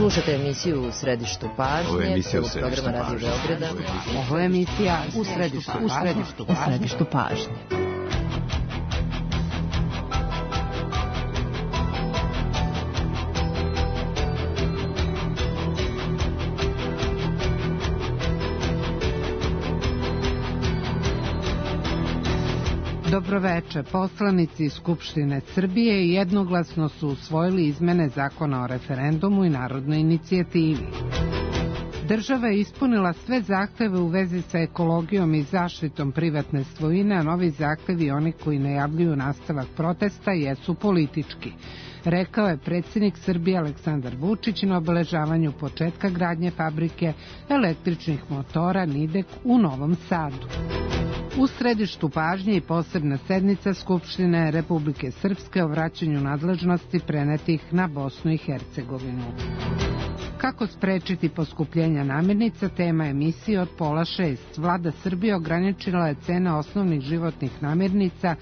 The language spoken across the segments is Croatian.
Slušate emisiju U središtu pažnje. Ovo je emisija U središtu pažnje. Ovo je emisija U središtu pažnje. Dobroveče. Poslanici Skupštine Srbije jednoglasno su usvojili izmene Zakona o referendumu i narodnoj inicijativi. Država je ispunila sve zahteve u vezi sa ekologijom i zaštitom privatne svojine, a novi zahtevi, oni koji najavljuju nastavak protesta, jesu politički, rekao je predsjednik Srbije Aleksandar Vučić na obeležavanju početka gradnje fabrike električnih motora Nidek u Novom Sadu. U središtu pažnje i posebna sednica Skupštine Republike Srpske o vraćanju nadležnosti prenetih na Bosnu i Hercegovinu. Kako sprečiti poskupljenja namirnica, tema emisije od 5:30. Vlada Srbije ograničila je cene osnovnih životnih namirnica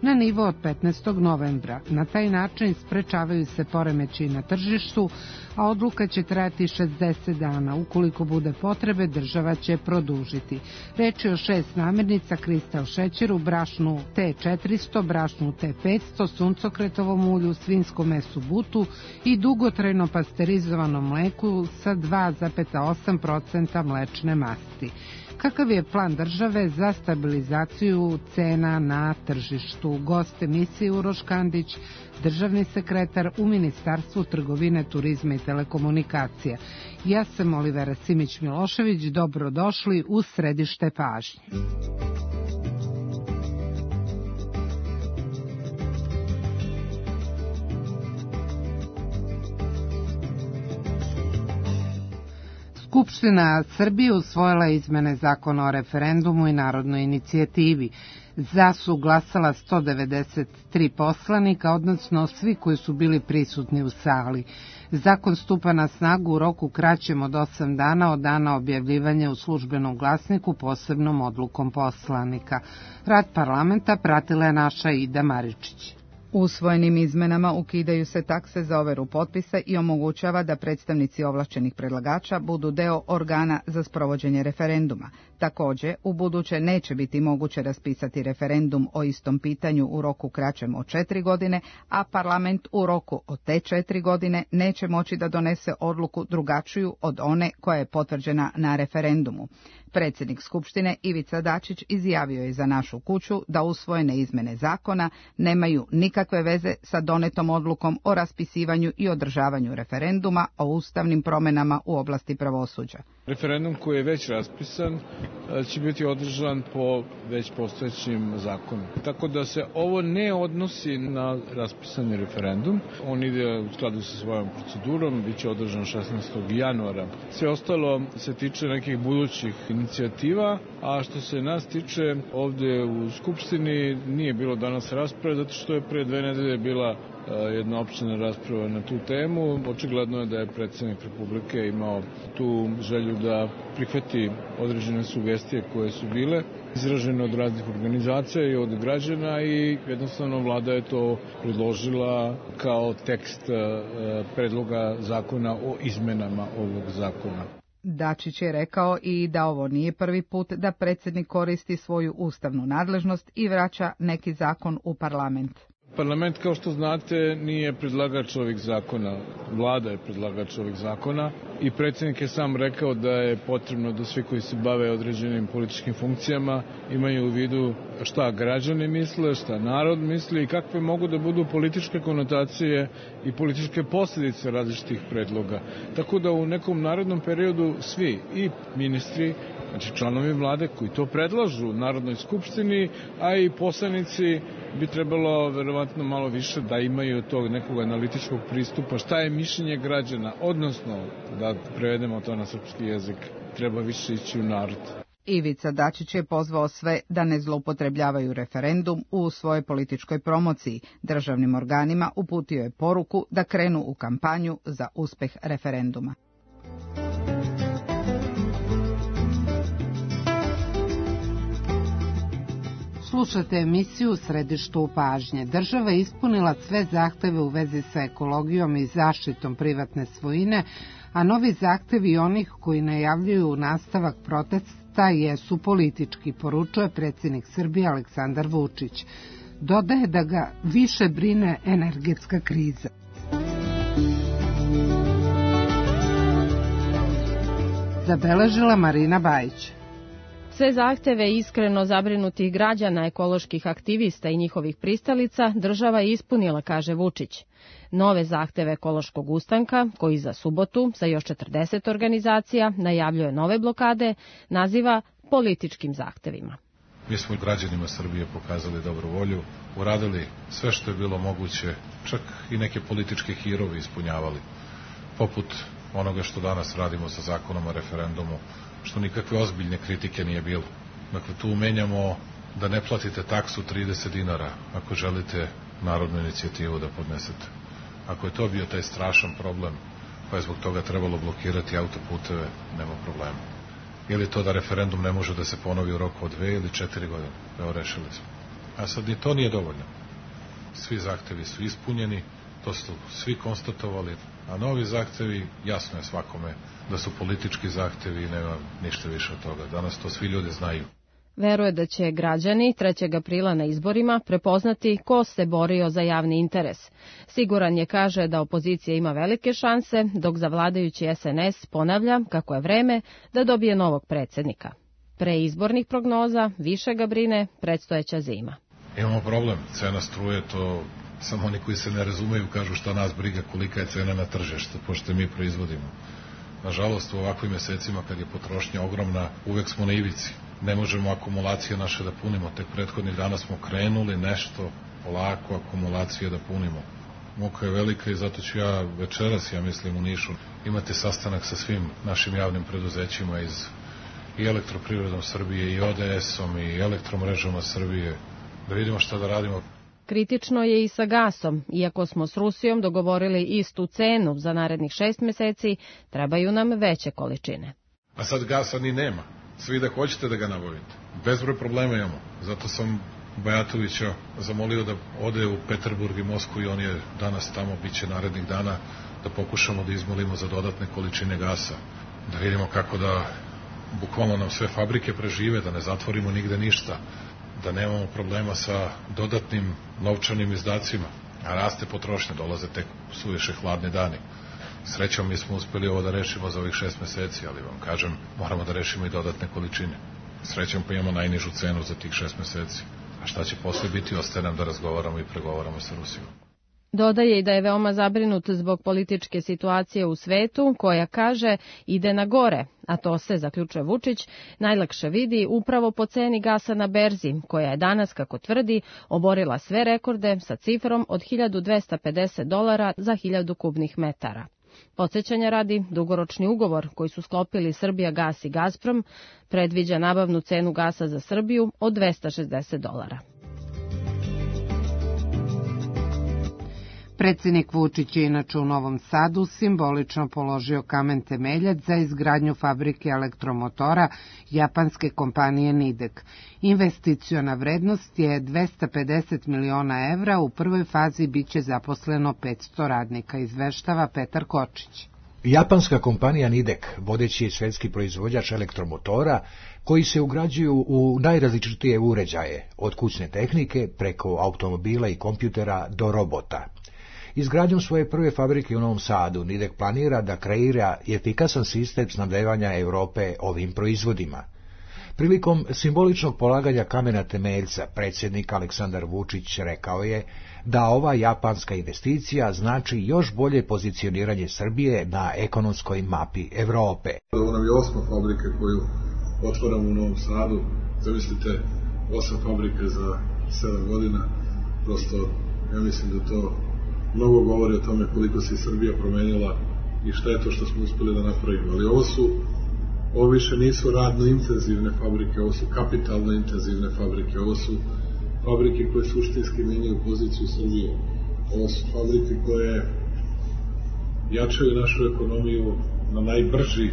na nivo od 15. novembra. Na taj način sprečavaju se poremećaji na tržištu, a odluka će trajati 60 dana. Ukoliko bude potrebe, država će produžiti. Reč je o 6 namirnica: kristal šećeru, brašnu T400, brašnu T500, suncokretovom ulju, svinjskom mesu butu i dugotrajno pasterizovanom mleku sa 2,8% mlečne masti. Kakav je plan države za stabilizaciju cena na tržištu? Gost emisije Uroš Kandić, državni sekretar u Ministarstvu trgovine, turizma i telekomunikacija. Ja sam Olivera Simić-Milošević, dobrodošli u središte pažnje. Skupština Srbije usvojila izmene Zakona o referendumu i narodnoj inicijativi. Za su glasala 193 poslanika, odnosno svi koji su bili prisutni u sali. Zakon stupa na snagu u roku kraćem od 8 dana od dana objavljivanja u Službenom glasniku posebnom odlukom poslanika. Rad parlamenta pratila je naša Ida Maričić. Usvojenim izmenama ukidaju se takse za overu potpisa i omogućava da predstavnici ovlašćenih predlagača budu deo organa za sprovođenje referenduma. Također, u buduće neće biti moguće raspisati referendum o istom pitanju u roku kraćem od 4 godine, a parlament u roku od te 4 godine neće moći da donese odluku drugačiju od one koja je potvrđena na referendumu. Predsjednik Skupštine Ivica Dačić izjavio je za Našu kuću da usvojene izmene zakona nemaju nikakve veze sa donetom odlukom o raspisivanju i održavanju referenduma o ustavnim promjenama u oblasti pravosuđa. Referendum koji je već raspisan će biti održan po već postojećim zakonima. Tako da se ovo ne odnosi na raspisani referendum. On ide u skladu sa svojom procedurom, bit će održan 16. januara. Sve ostalo se tiče nekih budućih inicijativa, a što se nas tiče ovdje u Skupštini nije bilo danas rasprave, zato što je pre 2 nedelje bila jedna opština rasprava na tu temu. Očigledno je da je predsjednik Republike imao tu želju da prihvati određene sugestije koje su bile izražene od raznih organizacija i od građana i jednostavno vlada je to predložila kao tekst predloga zakona o izmenama ovog zakona. Dačić je rekao i da ovo nije prvi put da predsjednik koristi svoju ustavnu nadležnost i vraća neki zakon u parlament. Parlament, kao što znate, nije predlagač ovih zakona. Vlada je predlagač ovih zakona i predsjednik je sam rekao da je potrebno da svi koji se bave određenim političkim funkcijama imaju u vidu šta građani misle, šta narod misli i kakve mogu da budu političke konotacije i političke posljedice različitih predloga. Tako da u nekom narodnom periodu svi i ministri, znači članovi vlade koji to predlažu Narodnoj skupštini, a i poslanici bi trebalo verovatno malo više da imaju tog nekog analitičkog pristupa, šta je mišljenje građana, odnosno da prevedemo to na srpski jezik, treba više ići u narod. Ivica Dačić je pozvao sve da ne zloupotrebljavaju referendum u svojoj političkoj promociji. Državnim organima uputio je poruku da krenu u kampanju za uspeh referenduma. Slušate emisiju Središtu pažnje. Država je ispunila sve zahteve u vezi sa ekologijom i zaštitom privatne svojine, a novi zahtevi onih koji najavljuju nastavak protesta jesu politički, poručuje predsjednik Srbije Aleksandar Vučić. Dodaje da ga više brine energetska kriza. Zabeležila Marina Bajić. Sve zahteve iskreno zabrinutih građana, ekoloških aktivista i njihovih pristalica država je ispunila, kaže Vučić. Nove zahteve ekološkog ustanka, koji za subotu sa još 40 organizacija najavljuje nove blokade, naziva političkim zahtevima. Mi smo građanima Srbije pokazali dobru volju, uradili sve što je bilo moguće, čak i neke političke hirovi ispunjavali, poput onoga što danas radimo sa zakonom o referendumu, što nikakve ozbiljne kritike nije bilo. Dakle, tu menjamo da ne platite taksu 30 dinara ako želite narodnu inicijativu da podnesete. Ako je to bio taj strašan problem, pa je zbog toga trebalo blokirati autoputeve, nema problema. Ili to da referendum ne može da se ponovi u roku od 2 ili 4 godine. Evo, rešili smo. A sad ni to nije dovoljno. Svi zahtevi su ispunjeni, to su svi konstatovali, a novi zahtevi, jasno je svakome da su politički zahtevi i nema ništa više od toga. Danas to svi ljudi znaju. Veruje da će građani 3. aprila na izborima prepoznati ko se borio za javni interes. Siguran je, kaže, da opozicija ima velike šanse, dok za vladajući SNS ponavlja kako je vreme da dobije novog predsjednika. Pre izbornih prognoza više ga brine predstojeća zima. Imamo problem, cena struje, to samo oni koji se ne razumeju kažu šta nas briga kolika je cena na tržištu, pošto mi proizvodimo. Nažalost, u ovakvim mesecima kad je potrošnja ogromna, uvek smo na ivici. Ne možemo akumulacije naše da punimo. Tek prethodnih dana smo krenuli nešto polako akumulacije da punimo. Muka je velika i zato ću ja večeras, ja mislim, u Nišu imati sastanak sa svim našim javnim preduzećima iz i Elektroprivredom Srbije i ODS-om i Elektromrežama Srbije, da vidimo šta da radimo. Kritično je i sa gasom. Iako smo s Rusijom dogovorili istu cenu za narednih 6 meseci, trebaju nam veće količine. A sad gasa ni nema. Svi da hoćete da ga nabavite. Bezbroj problema imamo. Zato sam Bajatovića zamolio da ode u Peterburg i Moskvu i on je danas tamo, bit će narednih dana, da pokušamo da izmolimo za dodatne količine gasa. Da vidimo kako da bukvalno nam sve fabrike prežive, da ne zatvorimo nigde ništa, da nemamo problema sa dodatnim novčanim izdacima. A raste potrošnja, dolaze tek suviše hladni dani. Srećom mi smo uspeli ovo da rešimo za ovih 6 meseci, ali vam kažem, moramo da rešimo i dodatne količine. Srećom pa imamo najnižu cenu za tih 6 meseci. A šta će posle biti, ostaje nam da razgovaramo i pregovaramo sa Rusijom. Dodaje i da je veoma zabrinut zbog političke situacije u svetu, koja, kaže, ide na gore, a to se, zaključuje Vučić, najlakše vidi upravo po ceni gasa na berzi, koja je danas, kako tvrdi, oborila sve rekorde sa cifrom od $1.250 za 1000 kubnih metara. Podsjećanja radi, dugoročni ugovor koji su sklopili Srbijagas i Gazprom predviđa nabavnu cenu gasa za Srbiju od $260. Predsjednik Vučić je inače u Novom Sadu simbolično položio kamen temeljac za izgradnju fabrike elektromotora japanske kompanije Nidek. Investiciona vrednost je 250 miliona evra, u prvoj fazi biće zaposleno 500 radnika, izveštava Petar Kočić. Japanska kompanija Nidek, vodeći je svetski proizvođač elektromotora, koji se ugrađuju u najrazličitije uređaje, od kućne tehnike preko automobila i kompjutera do robota. Izgradnjom svoje prve fabrike u Novom Sadu, Nidek planira da kreira efikasan sistem snabdevanja Europe ovim proizvodima. Prilikom simboličnog polaganja kamena temeljca, predsjednik Aleksandar Vučić rekao je da ova japanska investicija znači još bolje pozicioniranje Srbije na ekonomskoj mapi Evrope. Ovo nam je 8. fabrika koju otvaramo u Novom Sadu. Zamislite, 8 fabrika za 7 godina. Prosto, ja mislim da to mnogo govori o tome koliko se Srbija promenila i šta je to što smo uspeli da napravimo. Ali ovo više nisu radno intenzivne fabrike, ovo su kapitalno intenzivne fabrike, ovo su fabrike koje suštinski menjaju poziciju Srbije. Ovo su fabrike koje jačaju našu ekonomiju na najbrži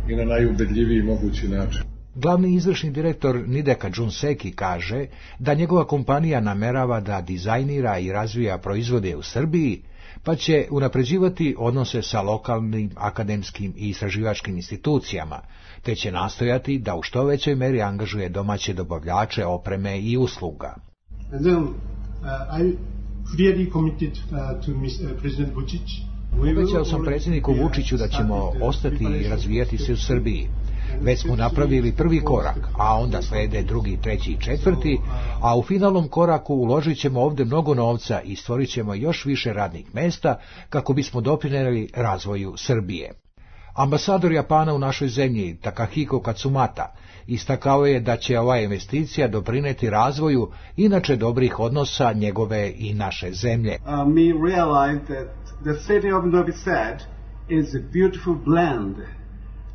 i na najubedljiviji mogući način. Glavni izvršni direktor Nideka Junseki kaže da njegova kompanija namerava da dizajnira i razvija proizvode u Srbiji, pa će unapređivati odnose sa lokalnim akademskim i istraživačkim institucijama, te će nastojati da u što većoj meri angažuje domaće dobavljače opreme i usluga. Obećao sam predsjedniku Vučiću da ćemo ostati i razvijati se u Srbiji. Već smo napravili prvi korak, a onda slede drugi, treći i četvrti, a u finalnom koraku uložit ćemo ovdje mnogo novca i stvorit ćemo još više radnih mesta kako bismo doprinijeli razvoju Srbije. Ambasador Japana u našoj zemlji, Takahiko Katsumata, istakao je da će ova investicija doprinijeti razvoju inače dobrih odnosa njegove i naše zemlje. We realize that the city of Novi Sad is a beautiful blend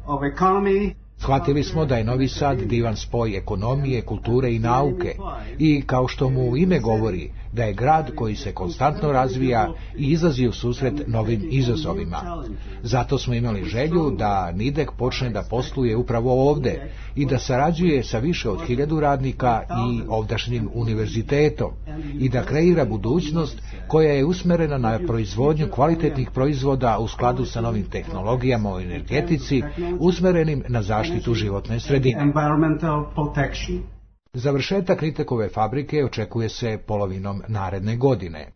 of economy. Shvatili smo da je Novi Sad divan spoj ekonomije, kulture i nauke i, kao što mu ime govori, da je grad koji se konstantno razvija i izlazi u susret novim izazovima. Zato smo imali želju da Nidek počne da posluje upravo ovde i da sarađuje sa više od 1000 radnika i ovdašnjim univerzitetom i da kreira budućnost koja je usmerena na proizvodnju kvalitetnih proizvoda u skladu sa novim tehnologijama u energetici, usmerenim na zaštitu životne sredine. Završetak Nitekove fabrike očekuje se polovinom naredne godine.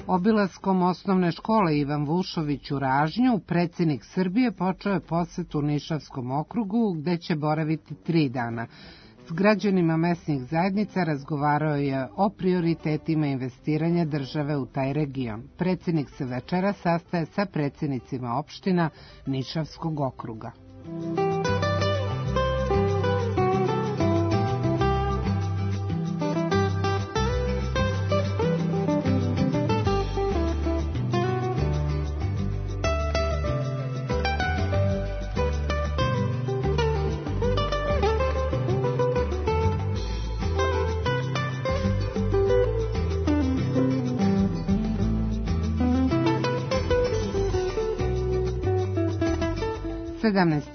Obilaskom osnovne škole Ivan Vušović u Ražnju, predsjednik Srbije počeo je posetu Nišavskom okrugu, gde će boraviti 3 dana. S građanima mesnih zajednica razgovarao je o prioritetima investiranja države u taj region. Predsjednik se večera sastaje sa predsjednicima opština Nišavskog okruga.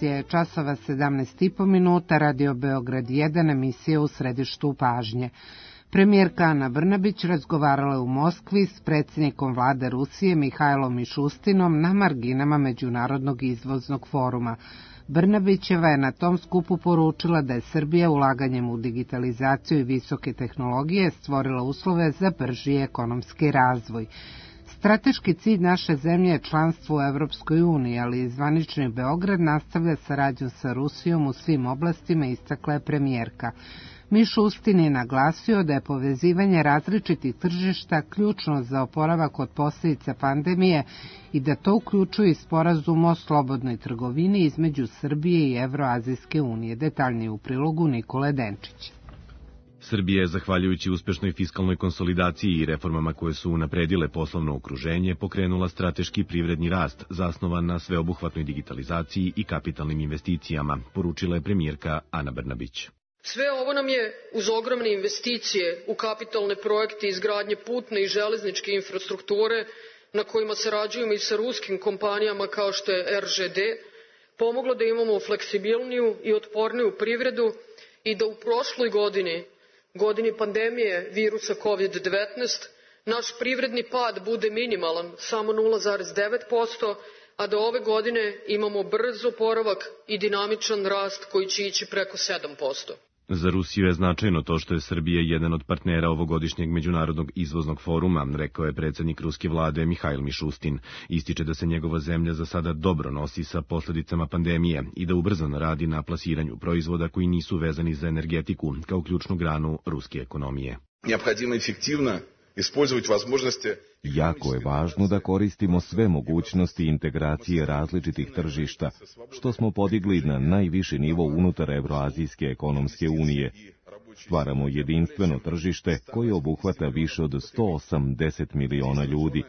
Je časova 17,5 minuta, Radio Beograd 1, emisija u središtu pažnje. Premijerka Ana Brnabić razgovarala je u Moskvi s predsjednikom vlade Rusije Mihajlom Mišustinom na marginama Međunarodnog izvoznog foruma. Brnabićeva je na tom skupu poručila da je Srbija ulaganjem u digitalizaciju i visoke tehnologije stvorila uslove za brži ekonomski razvoj. Strateški cilj naše zemlje je članstvo u Evropskoj uniji, ali i zvanični Beograd nastavlja saradnju sa Rusijom u svim oblastima, istakla je premijerka. Mišustin je naglasio da je povezivanje različitih tržišta ključno za oporavak od posljedica pandemije i da to uključuje i sporazum o slobodnoj trgovini između Srbije i Evroazijske unije. Detaljnije u prilogu Nikole Denčić. Srbija je, zahvaljujući uspešnoj fiskalnoj konsolidaciji i reformama koje su unapredile poslovno okruženje, pokrenula strateški privredni rast zasnovan na sveobuhvatnoj digitalizaciji i kapitalnim investicijama, poručila je premijerka Ana Brnabić. Sve ovo nam je, uz ogromne investicije u kapitalne projekte izgradnje putne i železničke infrastrukture, na kojima sarađujemo i sa ruskim kompanijama kao što je RŽD, pomoglo da imamo fleksibilniju i otporniju privredu i da u prošloj godini pandemije virusa COVID-19, naš privredni pad bude minimalan, samo 0,9%, a da ove godine imamo brz oporavak i dinamičan rast koji će ići preko 7%. Za Rusiju je značajno to što je Srbija jedan od partnera ovogodišnjeg Međunarodnog izvoznog foruma, rekao je predsjednik ruske vlade Mihajl Mišustin. Ističe da se njegova zemlja za sada dobro nosi sa posljedicama pandemije i da ubrzano radi na plasiranju proizvoda koji nisu vezani za energetiku kao ključnu granu ruske ekonomije. Jako je važno da koristimo sve mogućnosti integracije različitih tržišta, što smo podigli na najviši nivo unutar Evroazijske ekonomske unije. Stvaramo jedinstveno tržište koje obuhvata više od 180 miliona ljudi.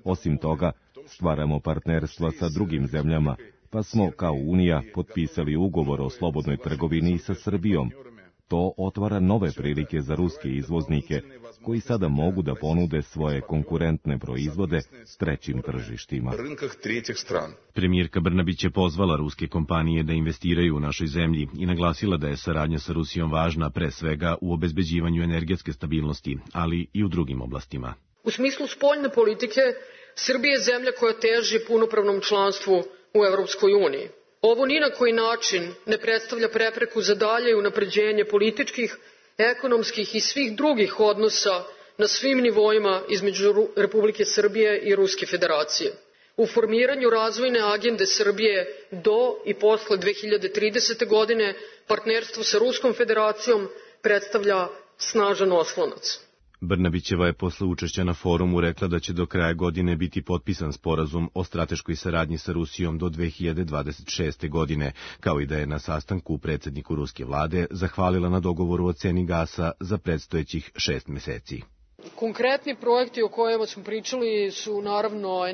Osim toga, stvaramo partnerstva sa drugim zemljama, pa smo kao Unija potpisali ugovor o slobodnoj trgovini sa Srbijom. To otvara nove prilike za ruske izvoznike, koji sada mogu da ponude svoje konkurentne proizvode trećim tržištima. Premijerka Brnabić je pozvala ruske kompanije da investiraju u našoj zemlji i naglasila da je saradnja sa Rusijom važna pre svega u obezbeđivanju energetske stabilnosti, ali i u drugim oblastima. U smislu spoljne politike, Srbija je zemlja koja teži punopravnom članstvu u Evropskoj uniji. Ovo ni na koji način ne predstavlja prepreku za dalje unapređenje političkih, ekonomskih i svih drugih odnosa na svim nivoima između Republike Srbije i Ruske federacije. U formiranju razvojne agende Srbije do i posle 2030. godine partnerstvo sa Ruskom federacijom predstavlja snažan oslonac. Brnabićeva je posle učešća na forumu rekla da će do kraja godine biti potpisan sporazum o strateškoj saradnji sa Rusijom do 2026. godine, kao i da je na sastanku predsedniku ruske vlade zahvalila na dogovoru o ceni gasa za predstojećih 6 meseci. Konkretni projekti o kojima smo pričali su naravno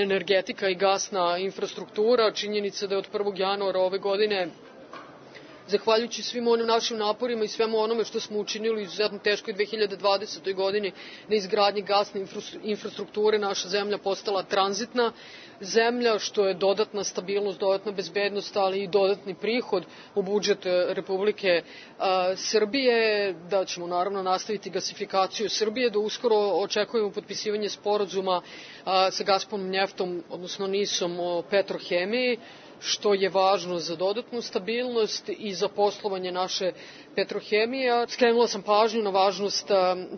energetika i gasna infrastruktura. Činjenica da je od 1. januara ove godine, zahvaljujući svim onim našim naporima i svemu onome što smo učinili u izuzetno teškoj 2020. godini na izgradnji gasne infrastrukture, naša zemlja postala tranzitna zemlja, što je dodatna stabilnost, dodatna bezbednost, ali i dodatni prihod u budžet Republike Srbije, da ćemo naravno nastaviti gasifikaciju Srbije, da uskoro očekujemo potpisivanje sporazuma sa Gazpromom Njeftom, odnosno NIS-om o petrohemiji, što je važno za dodatnu stabilnost i za poslovanje naše petrohemije. Skrenula sam pažnju na važnost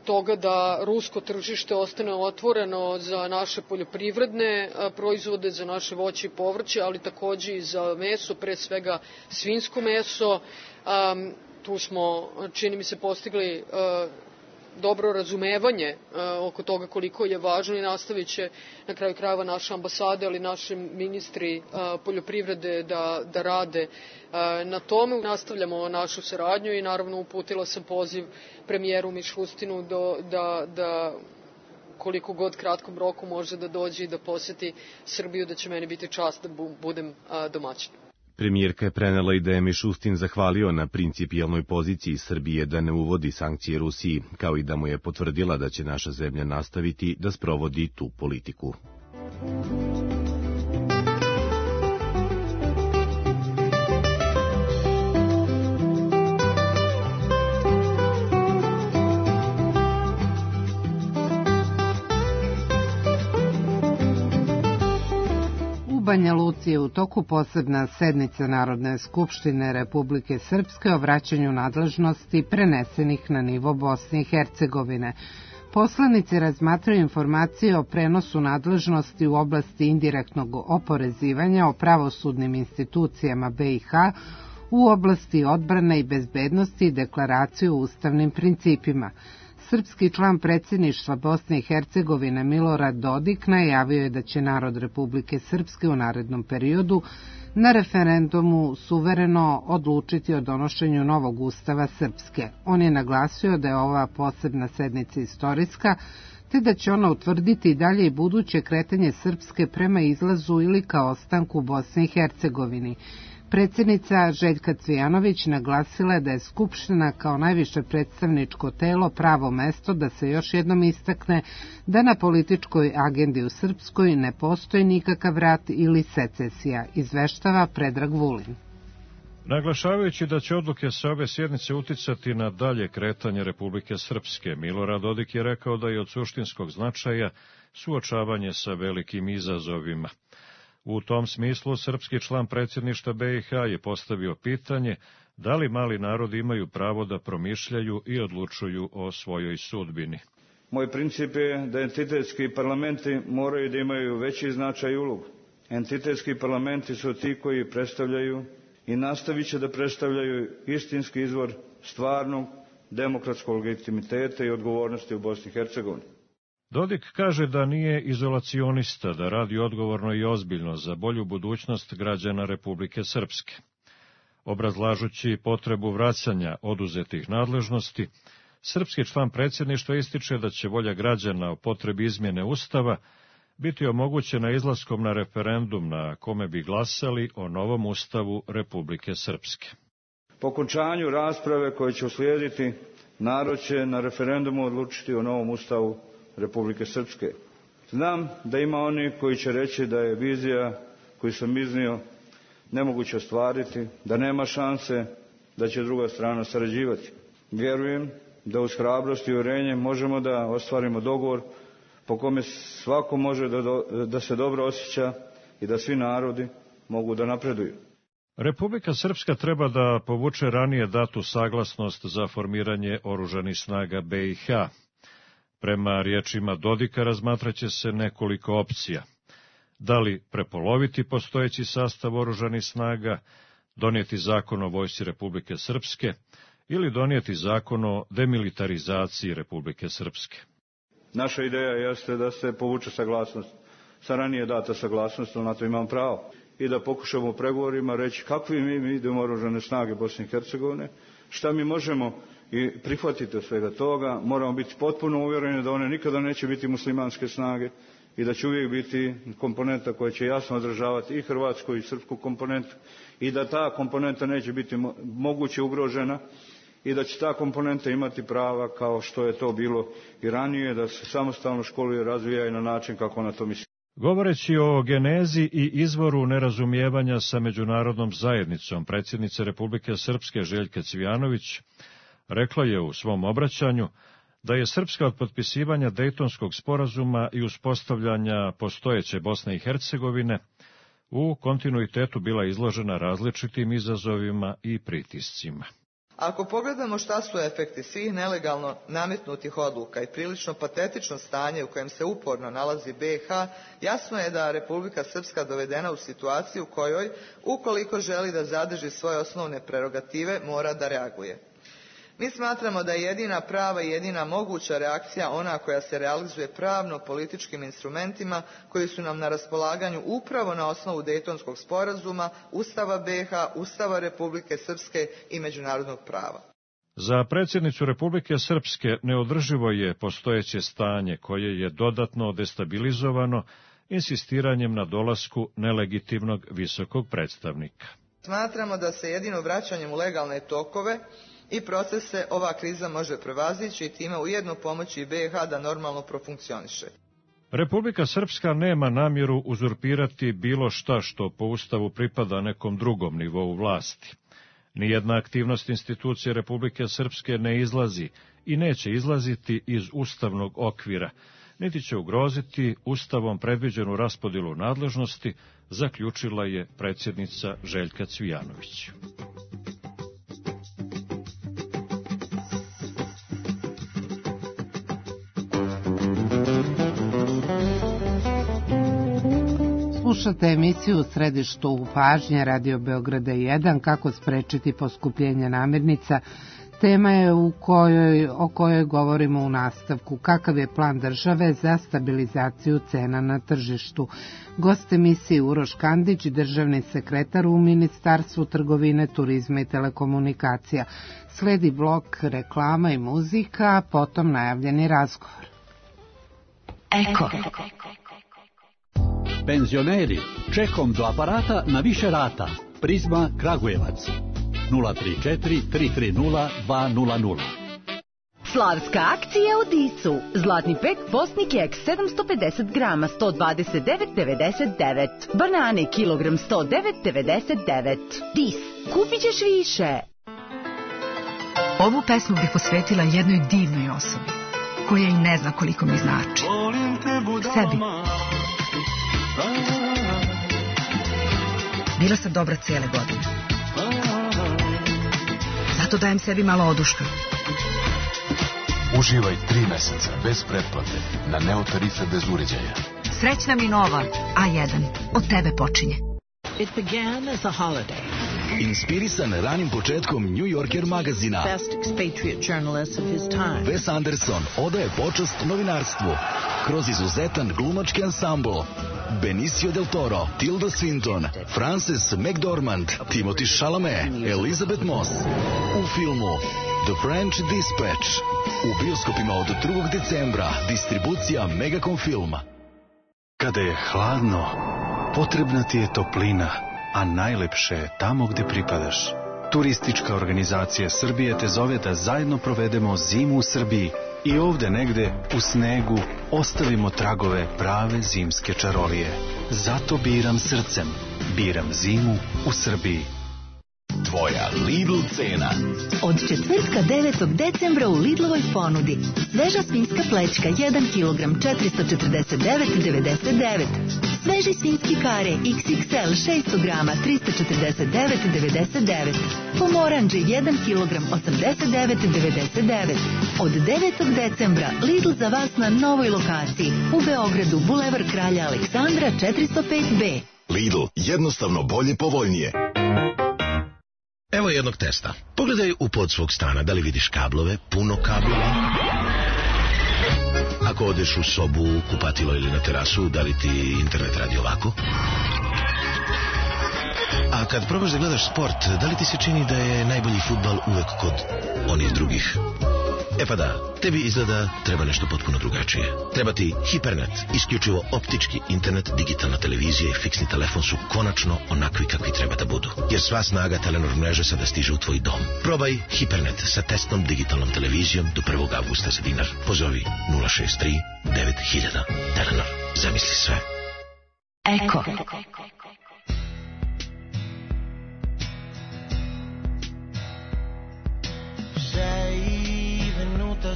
toga da rusko tržište ostane otvoreno za naše poljoprivredne proizvode, za naše voće i povrće, ali takođe i za meso, pre svega svinjsko meso. Tu smo, čini mi se, postigli dobro razumevanje oko toga koliko je važno i nastavit će na kraju krajeva naše ambasade, ali naši ministri poljoprivrede da rade na tome. Nastavljamo našu saradnju i naravno uputila sam poziv premijeru Mišustinu da koliko god kratkom roku može da dođe i da poseti Srbiju, da će meni biti čast da budem domaćin. Premijerka je prenela i da je Mišustin zahvalio na principijelnoj poziciji Srbije da ne uvodi sankcije Rusiji, kao i da mu je potvrdila da će naša zemlja nastaviti da sprovodi tu politiku. U Banja Luci je u toku posebna sednica Narodne skupštine Republike Srpske o vraćanju nadležnosti prenesenih na nivo Bosne i Hercegovine. Poslanici razmatraju informacije o prenosu nadležnosti u oblasti indirektnog oporezivanja o pravosudnim institucijama BiH, u oblasti odbrane i bezbednosti i deklaraciju o ustavnim principima. Srpski član predsjedništva Bosne i Hercegovine Milorad Dodik najavio je da će narod Republike Srpske u narednom periodu na referendumu suvereno odlučiti o donošenju novog ustava Srpske. On je naglasio da je ova posebna sednica istorijska, te da će ona utvrditi dalje i buduće kretanje Srpske prema izlazu ili ka ostanku u Bosni i Hercegovini. Predsjednica Željka Cvijanović naglasila je da je Skupština kao najviše predstavničko telo pravo mesto da se još jednom istakne da na političkoj agendi u Srpskoj ne postoji nikakav rat ili secesija, izveštava Predrag Vulin. Naglašavajući da će odluke sa ove sjednice uticati na dalje kretanje Republike Srpske, Milorad Dodik je rekao da je od suštinskog značaja suočavanje sa velikim izazovima. U tom smislu, srpski član predsjedništva BiH je postavio pitanje da li mali narodi imaju pravo da promišljaju i odlučuju o svojoj sudbini. Moj princip je da entitetski parlamenti moraju da imaju veći značaj i ulogu. Entitetski parlamenti su ti koji predstavljaju i nastavit će da predstavljaju istinski izvor stvarnog demokratskog legitimiteta i odgovornosti u Bosni i Hercegovini. Dodik kaže da nije izolacionista, da radi odgovorno i ozbiljno za bolju budućnost građana Republike Srpske. Obrazlažući potrebu vraćanja oduzetih nadležnosti, srpski član predsjedništva ističe da će volja građana o potrebi izmjene Ustava biti omogućena izlaskom na referendum na kome bi glasali o novom Ustavu Republike Srpske. Po okončanju rasprave koje će uslijediti, narod će na referendumu odlučiti o novom ustavu Republike Srpske. Znam da ima oni koji će reći da je vizija koju sam iznio nemoguće ostvariti, da nema šanse da će druga strana sarađivati. Vjerujem da uz hrabrost i uvjerenje možemo da ostvarimo dogovor po kome svako može da se dobro osjeća i da svi narodi mogu da napreduju. Republika Srpska treba da povuče ranije datu saglasnost za formiranje oružanih snaga BiH. Prema riječima Dodika razmatraće se nekoliko opcija. Da li prepoloviti postojeći sastav oružanih snaga, donijeti zakon o vojsci Republike Srpske ili donijeti zakon o demilitarizaciji Republike Srpske. Naša ideja jeste da se povuče saglasnost, sa ranije data saglasnost, ali na to imam pravo. I da pokušamo u pregovorima reći kakvi mi idemo oružane snage Bosne i Hercegovine, šta mi možemo i prihvatiti od svega toga. Moramo biti potpuno uvjereni da one nikada neće biti muslimanske snage i da će uvijek biti komponenta koja će jasno odražavati i hrvatsku i srpsku komponentu i da ta komponenta neće biti moguće ugrožena i da će ta komponenta imati prava kao što je to bilo i ranije, da se samostalno školuje i razvija i na način kako ona to misli. Govoreći o genezi i izvoru nerazumijevanja sa međunarodnom zajednicom, predsjednica Republike Srpske Željka Cvijanović rekla je u svom obraćanju da je Srpska od potpisivanja Dejtonskog sporazuma i uspostavljanja postojeće Bosne i Hercegovine u kontinuitetu bila izložena različitim izazovima i pritiscima. Ako pogledamo šta su efekti svih nelegalno nametnutih odluka i prilično patetično stanje u kojem se uporno nalazi BiH, jasno je da Republika Srpska dovedena u situaciju u kojoj, ukoliko želi da zadrži svoje osnovne prerogative, mora da reaguje. Mi smatramo da je jedina prava i jedina moguća reakcija ona koja se realizuje pravno-političkim instrumentima koji su nam na raspolaganju upravo na osnovu Dejtonskog sporazuma, Ustava BiH, Ustava Republike Srpske i međunarodnog prava. Za predsjednicu Republike Srpske neodrživo je postojeće stanje koje je dodatno destabilizovano insistiranjem na dolasku nelegitimnog visokog predstavnika. Smatramo da se jedino vraćanjem u legalne tokove i procese ova kriza može prevazići i time ujedno pomoći BiH da normalno profunkcioniše. Republika Srpska nema namjeru uzurpirati bilo šta što po Ustavu pripada nekom drugom nivou vlasti. Nijedna aktivnost institucije Republike Srpske ne izlazi i neće izlaziti iz ustavnog okvira, niti će ugroziti Ustavom predviđenu raspodjelu nadležnosti, zaključila je predsjednica Željka Cvijanović. Slušate emisiju u središtu pažnje Radio Beograda 1, kako sprečiti poskupljenje namirnica. Tema je o kojoj govorimo u nastavku. Kakav je plan države za stabilizaciju cena na tržištu? Gost emisije Uroš Kandić, državni sekretar u Ministarstvu trgovine, turizma i telekomunikacija. Sledi blok reklama i muzika, potom najavljeni razgovor. Eko. Penzioneri, čekom do aparata na više rata. Prizma Kragujevac. 034 330 200. Slavska akcija u Disu. Zlatni pek Bosni keks 750 grama 129,99. Banane kilogram 109,99. Dis. Kupit ćeš više. Ovu pesmu bih posvetila jednoj divnoj osobi, koja i ne zna koliko mi znači. Sebi. Bila sam dobra cijele godine. Zato dajem sebi malo oduška. Uživaj 3 meseca bez pretplate na Neo tarife bez uređaja. Srećna mi nova A1. Od tebe počinje. It began as a holiday. Inspirisan ranim početkom New Yorker magazina, Best expatriate journalist of his time. Wes Anderson odaje počast novinarstvu kroz izuzetan glumački ansambl. Benicio del Toro, Tilda Swinton, Frances McDormand, Timothy Chalamet, Elizabeth Moss. U filmu The French Dispatch. U bioskopima od 2. decembra. Distribucija Megacom Filma. Kada je hladno, potrebna ti je toplina, a najlepše je tamo gde pripadaš. Turistička organizacija Srbije te zove da zajedno provedemo zimu u Srbiji i ovde negde u snegu ostavimo tragove prave zimske čarolije. Zato biram srcem. Biram zimu u Srbiji. Tvoja Lidl cena. Od četvrtka 9. decembra u Lidlovoj ponudi. Sveža svinjska plećka 1 kg 449,99. Sveži svinjski kare XXL 600 grama 349,99. Pomoranđe 1 kg 89,99. Od 9. decembra Lidl za vas na novoj lokaciji u Beogradu, Bulevar Kralja Aleksandra 405B. Lidl, jednostavno bolje, povoljnije. Evo jednog testa. Pogledaj u pod svog stana, da li vidiš kablove, puno kablova. Ako odeš u sobu, kupatilo ili na terasu, da li ti internet radi ovako? A kad probaš da gledaš sport, da li ti se čini da je najbolji fudbal uvek kod onih drugih? E pa da, tebi izgleda treba nešto potpuno drugačije. Treba ti Hipernet, isključivo optički internet, digitalna televizija i fiksni telefon su konačno onakvi kakvi treba da budu. Jer sva snaga Telenor mreže sada stiže u tvoj dom. Probaj Hipernet sa testnom digitalnom televizijom do 1. avgusta za dinar. Pozovi 063 9000. Telenor, zamisli sve. Eko.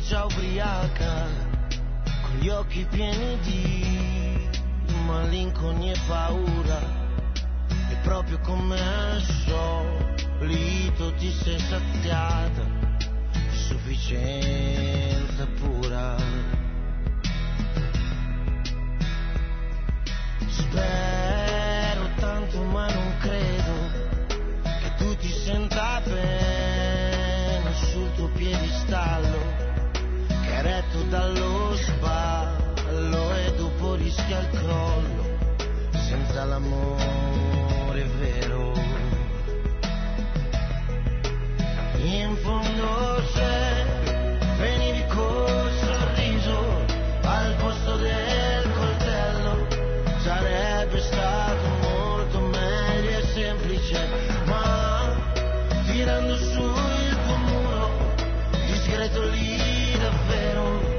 Già ubriaca, con gli occhi pieni di malinconia e paura, e proprio come al solito ti sei saziata di sufficienza pura. Spero tanto ma non credo che tu ti senta bene sul tuo piedistallo, retto dallo sballo, e dopo rischia il crollo senza l'amore vero. In fondo se venivi col sorriso al posto del coltello, sarebbe stato molto meglio e semplice, ma tirando su il tuo muro discreto lì davvero,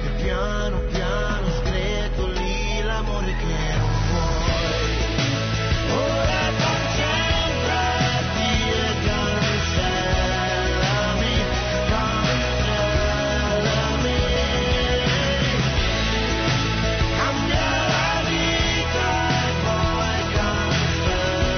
e piano piano screto lì l'amore che non vuoi. Ora concentrati e cancellami, cancellami. Cambia la vita e poi cancellami.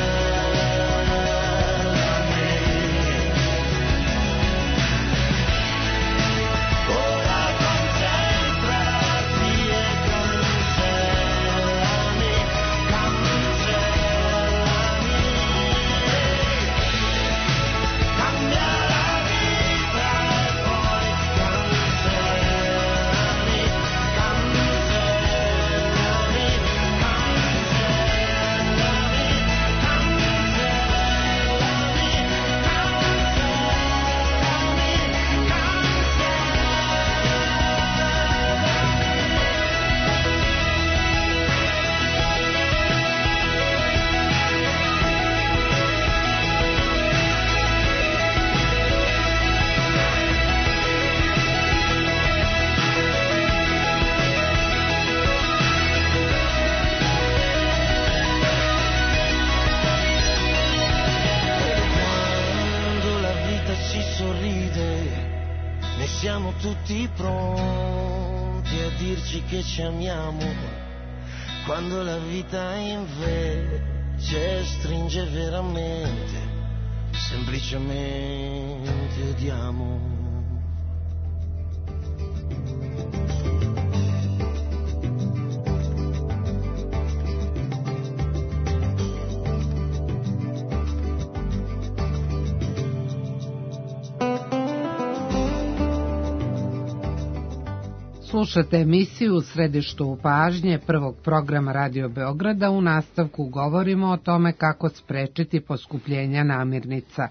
Siamo tutti pronti a dirci che ci amiamo, quando la vita invece stringe veramente, semplicemente odiamo. Slušate emisiju u središtu pažnje prvog programa Radio Beograda. U nastavku govorimo o tome kako sprečiti poskupljenja namirnica.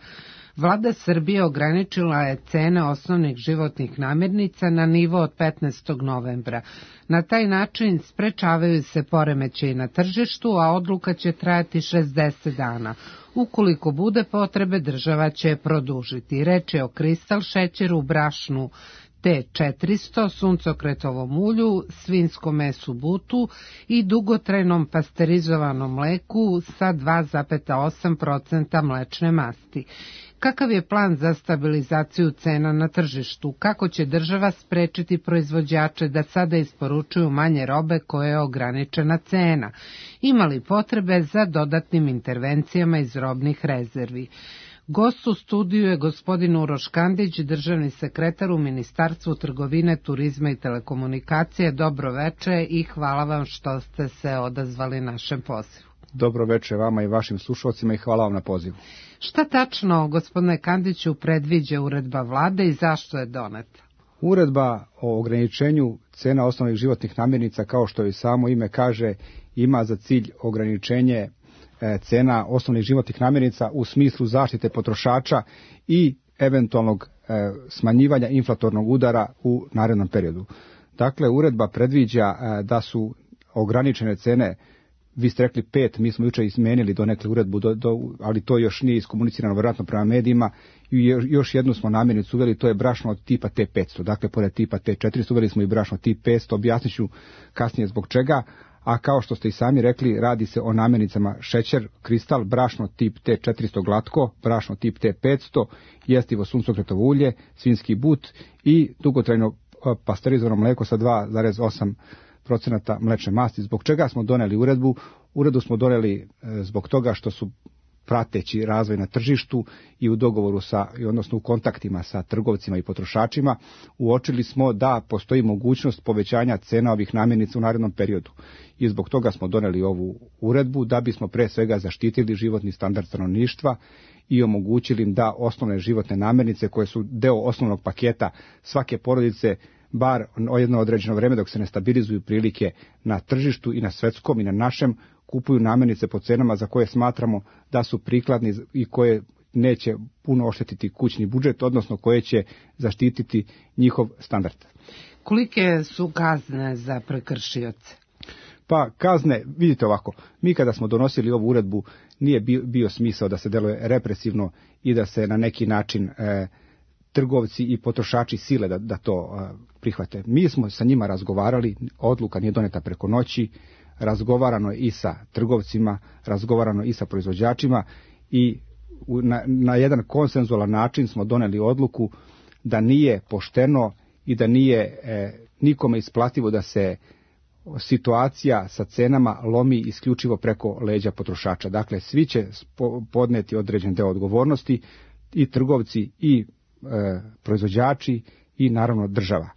Vlada Srbije ograničila je cene osnovnih životnih namirnica na nivo od 15. novembra. Na taj način sprečavaju se poremećaji na tržištu, a odluka će trajati 60 dana. Ukoliko bude potrebe, država će je produžiti. Reč je o kristal šećeru, brašnu T400, suncokretovom ulju, svinskom mesu butu i dugotrajnom pasterizovanom mleku sa 2,8% mlečne masti. Kakav je plan za stabilizaciju cena na tržištu? Kako će država sprečiti proizvođače da sada isporučuju manje robe koje je ograničena cena? Ima li potrebe za dodatnim intervencijama iz robnih rezervi? Gost u studiju je gospodin Uroš Kandić, državni sekretar u Ministarstvu trgovine, turizma i telekomunikacije. Dobro veče i hvala vam što ste se odazvali našem pozivu. Dobro veče vama i vašim slušalcima i hvala vam na pozivu. Šta tačno, gospodine Kandiću, predviđa uredba vlade i zašto je doneta? Uredba o ograničenju cena osnovnih životnih namirnica, kao što i samo ime kaže, ima za cilj ograničenje cena osnovnih životnih namirnica u smislu zaštite potrošača i eventualnog smanjivanja inflatornog udara u narednom periodu. Dakle, uredba predviđa da su ograničene cene, vi ste rekli 5, mi smo jučer izmenili donekle uredbu, ali to još nije iskomunicirano vjerojatno prema medijima, i još jednu smo namirnicu uveli, to je brašno od tipa T500, dakle pored tipa T400 uveli smo i brašno tip 500, objasnit ću kasnije zbog čega. A kao što ste i sami rekli, radi se o namirnicama šećer, kristal, brašno tip T400 glatko, brašno tip T500, jestivo suncokretovo ulje, svinski but i dugotrajno pasterizovano mlijeko sa 2,8% mlečne masti. Zbog čega smo doneli uredbu? Uredbu smo doneli zbog toga što su prateći razvoj na tržištu i u dogovoru odnosno u kontaktima sa trgovcima i potrošačima, uočili smo da postoji mogućnost povećanja cena ovih namirnica u narednom periodu. I zbog toga smo doneli ovu uredbu, da bismo pre svega zaštitili životni standard stanovništva i omogućili im da osnovne životne namirnice, koje su deo osnovnog paketa svake porodice, bar jedno određeno vreme dok se ne stabilizuju prilike na tržištu i na svetskom i na našem, kupuju namirnice po cenama za koje smatramo da su prikladni i koje neće puno oštetiti kućni budžet, odnosno koje će zaštititi njihov standard. Kolike su kazne za prekršioce? Pa kazne, vidite ovako, mi kada smo donosili ovu uredbu nije bio smisao da se deluje represivno i da se na neki način trgovci i potrošači sile da to prihvate. Mi smo sa njima razgovarali, odluka nije doneta preko noći, razgovarano i sa trgovcima, razgovarano i sa proizvođačima i na jedan konsenzualan način smo doneli odluku da nije pošteno i da nije nikome isplativo da se situacija sa cenama lomi isključivo preko leđa potrošača. Dakle, svi će podneti određen deo odgovornosti, i trgovci i proizvođači i naravno država.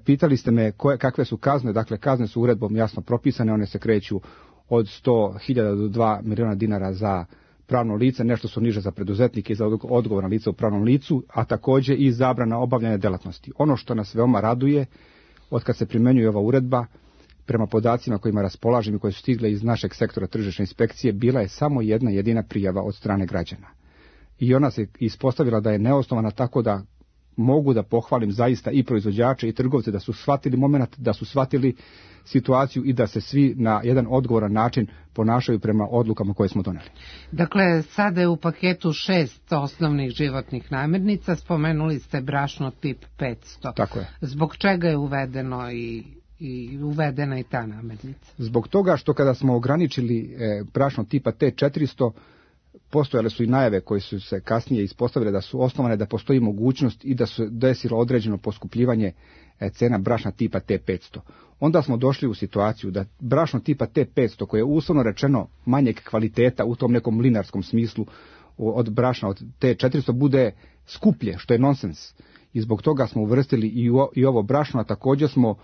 Pitali ste me kakve su kazne. Dakle, kazne su uredbom jasno propisane, one se kreću od 100.000 do 2 miliona dinara za pravno lice, nešto su niže za preduzetnike i za odgovorna lica u pravnom licu, a također i zabrana obavljanja delatnosti. Ono što nas veoma raduje, od kad se primenjuje ova uredba, prema podacima kojima raspolažem i koje su stigle iz našeg sektora tržišne inspekcije, bila je samo jedna jedina prijava od strane građana. I ona se ispostavila da je neosnovana, tako da mogu da pohvalim zaista i proizvođače i trgovce da su shvatili moment, da su shvatili situaciju i da se svi na jedan odgovoran način ponašaju prema odlukama koje smo doneli. Dakle, sada je u paketu 6 osnovnih životnih namirnica, spomenuli ste brašno tip 500. Tako je. Zbog čega je uvedeno i uvedena i ta namirnica? Zbog toga što kada smo ograničili brašno tipa T400, postojale su i najave koje su se kasnije ispostavile da su osnovane, da postoji mogućnost i da se desilo određeno poskupljivanje cena brašna tipa T500. Onda smo došli u situaciju da brašno tipa T500, koje je uslovno rečeno manjeg kvaliteta u tom nekom linarskom smislu od brašna od T400, bude skuplje, što je nonsens. I zbog toga smo uvrstili i ovo brašno, a također smo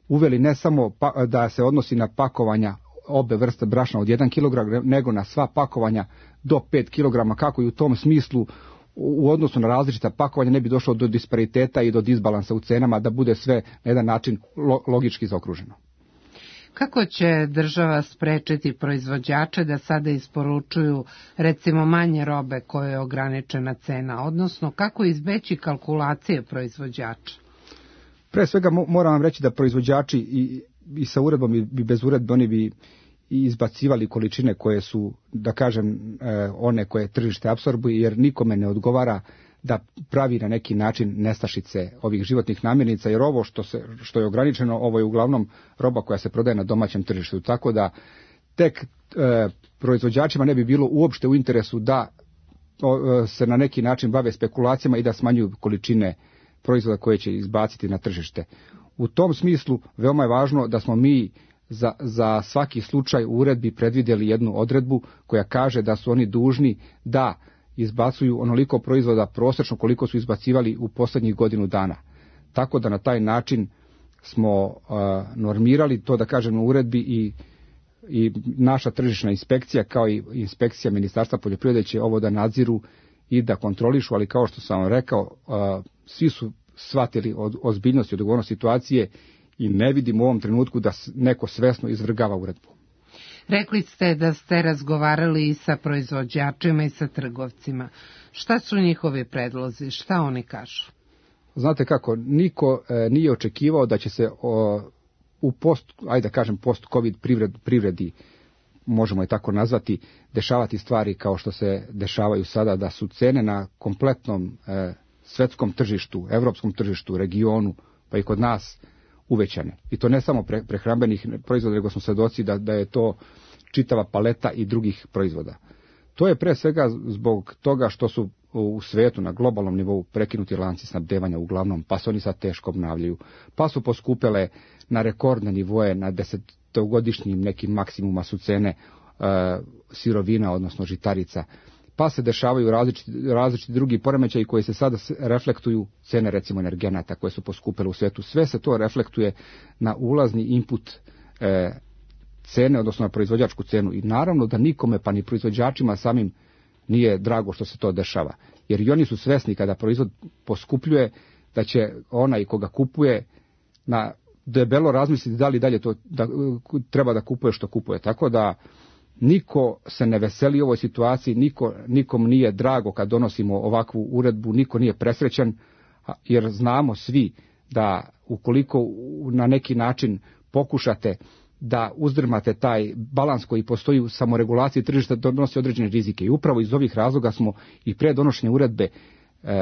uveli ne samo da se odnosi na pakovanja obe vrste brašna od 1 kg, nego na sva pakovanja do 5 kg, kako i u tom smislu u odnosu na različita pakovanja ne bi došlo do dispariteta i do disbalansa u cenama, da bude sve na jedan način logički zaokruženo. Kako će država sprečiti proizvođače da sada isporučuju recimo manje robe koje je ograničena cena, odnosno kako izbeći kalkulacije proizvođača? Pre svega moram vam reći da proizvođači i sa uredbom i bez uredbe oni bi izbacivali količine koje su, da kažem, one koje tržište apsorbuje, jer nikome ne odgovara da pravi na neki način nestašice ovih životnih namirnica, jer ovo što je ograničeno, ovo je uglavnom roba koja se prodaje na domaćem tržištu, tako da tek proizvođačima ne bi bilo uopšte u interesu da se na neki način bave spekulacijama i da smanjuju količine proizvoda koje će izbaciti na tržište. U tom smislu veoma je važno da smo mi za svaki slučaj u uredbi predvidjeli jednu odredbu koja kaže da su oni dužni da izbacuju onoliko proizvoda prosječno koliko su izbacivali u posljednjih godinu dana. Tako da na taj način smo normirali to, da kažem, u uredbi i naša tržišna inspekcija kao i inspekcija Ministarstva poljoprivrede će ovo da nadziru i da kontrolišu, ali kao što sam vam rekao, svi su shvatili ozbiljnost i odgovornost situacije i ne vidim u ovom trenutku da neko svesno izvrgava uredbu. Rekli ste da ste razgovarali i sa proizvođačima i sa trgovcima. Šta su njihovi predlozi? Šta oni kažu? Znate kako, niko nije očekivao da će se u post-covid privredi, možemo je tako nazvati, dešavati stvari kao što se dešavaju sada, da su cene na kompletnom svetskom tržištu, evropskom tržištu, regionu, pa i kod nas uvećane. I to ne samo prehrambenih proizvoda, nego smo svedoci da je to čitava paleta i drugih proizvoda. To je pre svega zbog toga što su u svetu na globalnom nivou prekinuti lanci snabdevanja uglavnom, pa se oni sad teško obnavljaju, pa su poskupele na rekordne nivoje, na desetogodišnjim nekim maksimuma su cene sirovina, odnosno žitarica, pa se dešavaju različiti drugi poremećaji koji se sada reflektuju, cene recimo energenata koje su poskupele u svijetu. Sve se to reflektuje na ulazni input cene, odnosno na proizvođačku cenu. I naravno da nikome, pa ni proizvođačima samim, nije drago što se to dešava. Jer i oni su svesni kada proizvod poskupljuje, da će onaj koga kupuje na debelo razmisliti da li dalje to treba da kupuje što kupuje. Tako da niko se ne veseli u ovoj situaciji, nikom nije drago kad donosimo ovakvu uredbu, niko nije presrećan, jer znamo svi da ukoliko na neki način pokušate da uzdrmate taj balans koji postoji u samoregulaciji tržišta, donosi određene rizike. I upravo iz ovih razloga smo i pre donošenja uredbe